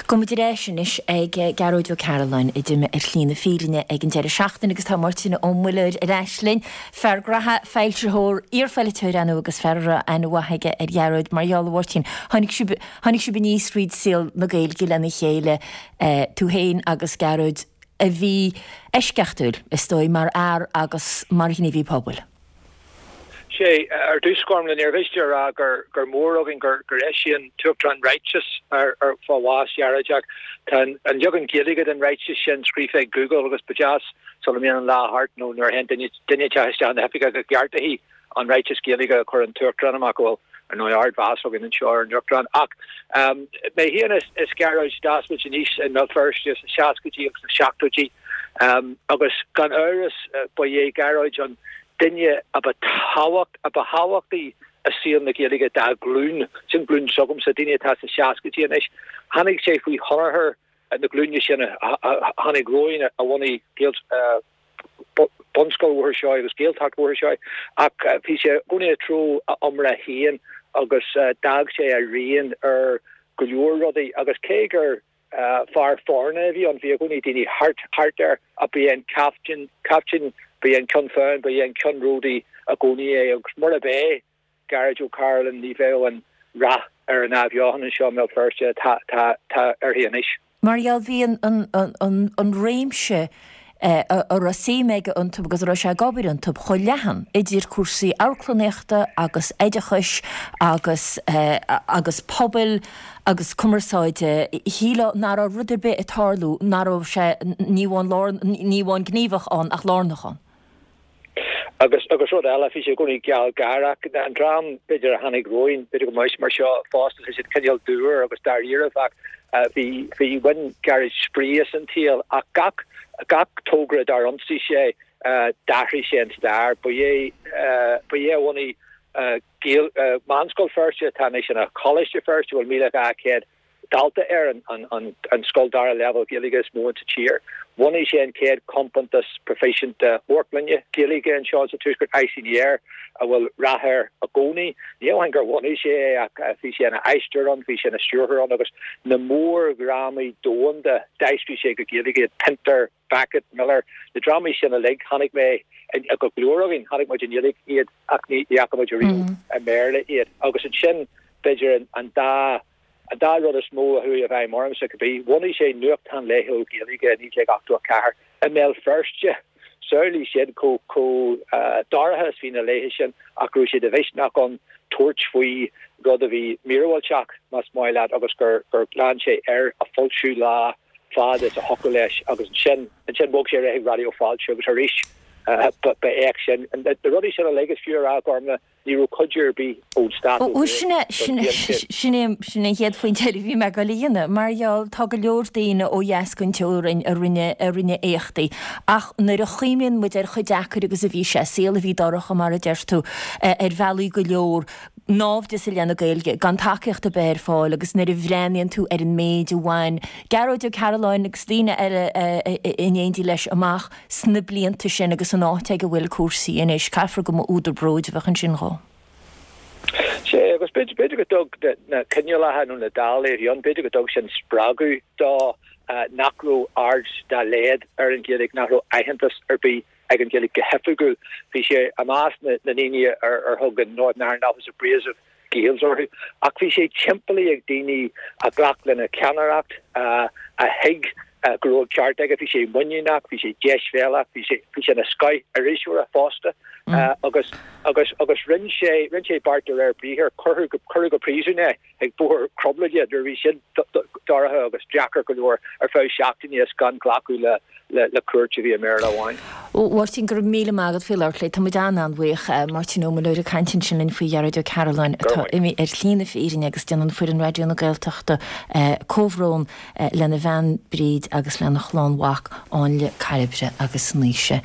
Gabhfaidh muid ar ais anois ag Gearóid Ó Cairealláin a d'imigh ar shlí na fírinne ag an deireadh seachtaine agus tá Máirtín Ó Muilleoir ar ais linn, fear graithe, foilsitheoir, iarpholaiteoir ar ndóigh agus fear a raibh aithne mhaith aige ar Ghearóid. Mar gheall, a Mháirtín, tháinig sibh, tháinig sibh aníos fríd saol na Gaeilge lena chéile, tú féin agus Gearóid, a bhí eisceachtúil, is dóigh, mar fhear agus mar ghníomhaí pobail. Sea, ar dtús, Gormlaith, níor mhiste a rá gur gur mór againn gur gur eisigh an tUachtarán ráiteas ar ar fá bhás Ghearóid ach tá an an leagan Gaeilge den ráiteas sin scríofa ag Google agus ba deas sula mbíonn an lá thart nó nuair a théann duine duine inteacht isteach na hoifige go gceartófaí an ráiteas Gaeilge a chuir an tUachtarán amach go bhfuil ar ndóigh ardmheas againn anseo ar an Uachtarán ach mé féin is is Gearóid d'fhás muid aníos i mBéal Feirste sna seascaidí agus sna seachtóidí agus gan amhras ba é Gearóid an duine a ba tábhacht, a ba thábhachtaí i saol na Gaeilge dá ghlúin, sin glúin s'agamsa, daoine atá sna seascaidí anois. Tháinig sé faoi thionchar na glúine sin a tháinig romhainn a bhunaigh Bunscoil Bhóthar Seoighe agus Gaeltacht Bhóthar Seoighe ach bhí sé i gcónaí ag treo a iomrá féin agus d'fhág sé a rian ar go leor rudaí agus cé gur Fear foirne a bhí ann, bhí i gcónaí daoine thart thart air ach ba é an captaen, captain, ba é an ceann feadhain, ba é an ceannródaí i gcónaí é agus murab é Gearóid Ó Cairealláin ní bheadh an rath ar an athbheochan anseo i mBéal Feirste atá tá tá uirthi anois. Mar gheall, bhí an an an an réimse a raibh suim aige iontu agus a raibh sé ag obair iontu chomh leathan, idir cúrsaí amharclannaíochta agus oideachais agus agus pobail agus cumarsáide. Shílfeá nach raibh rud ar bith ag tarlú nach raibh sé ní amháin lár, ní amháin gníomhach ann ach lárnach ann. Agus, agus rud eile, bhí sé i gcónaí gealgháireach. An dream, b'fhéidir, a tháinig romhainn, b'fhéidir go mbeidh mar seo fosta, tá siad cineál dúr agus dáiríribh ach bhí, bhí, bhain Gearóid spraoi as an tsaol ach gach, gach togra dár ionsaigh sé, d'athraigh sé an stair. Ba é, ba é a bhunaigh Gael, Meánscoil Feirste, atá anois ina Choláiste Feirste, a bhfuil 1,200 dalta air, an scoil dara leibhéal Gaeilge is mó insa tír. Bhunaigh sé an chéad chompántas proifisiúnta amharclainne Gaeilge anseo sa Tuaisceart, Eye in the Air, a bhfuil rath air i gcónaí. Ní amháin gur bhunaigh sé é ach bhí sé ina aisteoir ann, bhí sé ina stiúrthóir ann agus na mórdhrámaí domhanda d'aistrigh sé go Gaeilge iad, Pinter, Beckett, Miller, na drámaí sin uilig, chonaic mé go leor againn, chonaic muid i nGaeilge iad ach ní fhaca muid ariamh i mBéarla iad. Agus ansin, b'fhéidir an dá An dá rud is mó a chuaigh i bhfeidhm ormsa, cibé, bhunaigh sé nuachtán laethúil Gaeilge i 1984 i mBéal Feirste. Samhlaigh sin chomh chomh dorcha is bhí na laethe sin ach go raibh sé de mhisneach ann tabhairt faoi rud a bhí míorúilteach, más maith leat, agus gur gur lean sé air a foilsiú lá fad is a thiocfadh leis agus ansin ansin bhog sé ar aghaidh chuig Raidió Fáilte agus arís ba ba éacht sin. Na rudaí sin uilig is fiú a rá, Gormlaith, Ní raibh cuidiú ar bith ón stát ó Bhuel, sin é, sin é, sin é, sin é an chéad phointe eile a bhí mé ag dul a dhéanamh, mar gheall, tá go leor daoine ó dheas den teorainn a rinne, a rinne éachtaí, ach nuair a chuimhníonn muid ar chomh deacair agus a bhí sé, saol a bhí dorcha, mar a deir tú, ar bhealaí go leor, náimhdeas i leith na Gaeilge, gan tacaíocht ar bith ar fáil agus nuair a bhreathnaíonn tú ar an méid a bhain Gearóid Ó Cairealláin agus daoine eile in éindí leis amach, sna blianta sin agus an áit ag a bhfuil cúrsaí anois, caithfear go mba údar bróid a bheadh ansin dhó. Sea, agus b'fhéidir go dtug na coinníollacha nó na dálaí a bhí ann, b'fhéidir go dtug sin spreagadh dó nach raibh aird dá laghad ar an Ghaeilge, nach raibh aitheantas ar bith ag an Ghaeilge go hoifigiúil. Bhí sé i measc na ndaoine ar thug an Northern Ireland Office Abrasive Gaels orthu, ach bhí sé timpeallaithe ag daoine a ghlac lena cheannaireacht, a thuig go raibh an ceart aige. Bhí sé muiníneach, bhí sé deisbhéalach, bhí sé bhí sé ina scoth iriseoir fosta agus agus agus rinne sé rinne sé beart de réir briathair, cuireadh go cuireadh go príosún é ag Bóthar Cromghlinne nuair a bhí sin dorcha agus deacair go leor ar feadh seachtaine is gan glacadh le le cúirt a bhí i mBéarla amháin. A Mháirtín, go raibh míle maith agat faoi labhairt linn. Tá muid an-an-bhuíoch. Máirtín Ó Muilleoir ag caint ansin linn faoi Ghearóid Ó Cairealláin atá imithe ar shlí na fírinne agus déanann foireann Raidió na Gaeltachta comhbhrón lena bhean Bríd agus lena chlann mhac Áinle, Cairbre agus Naoise.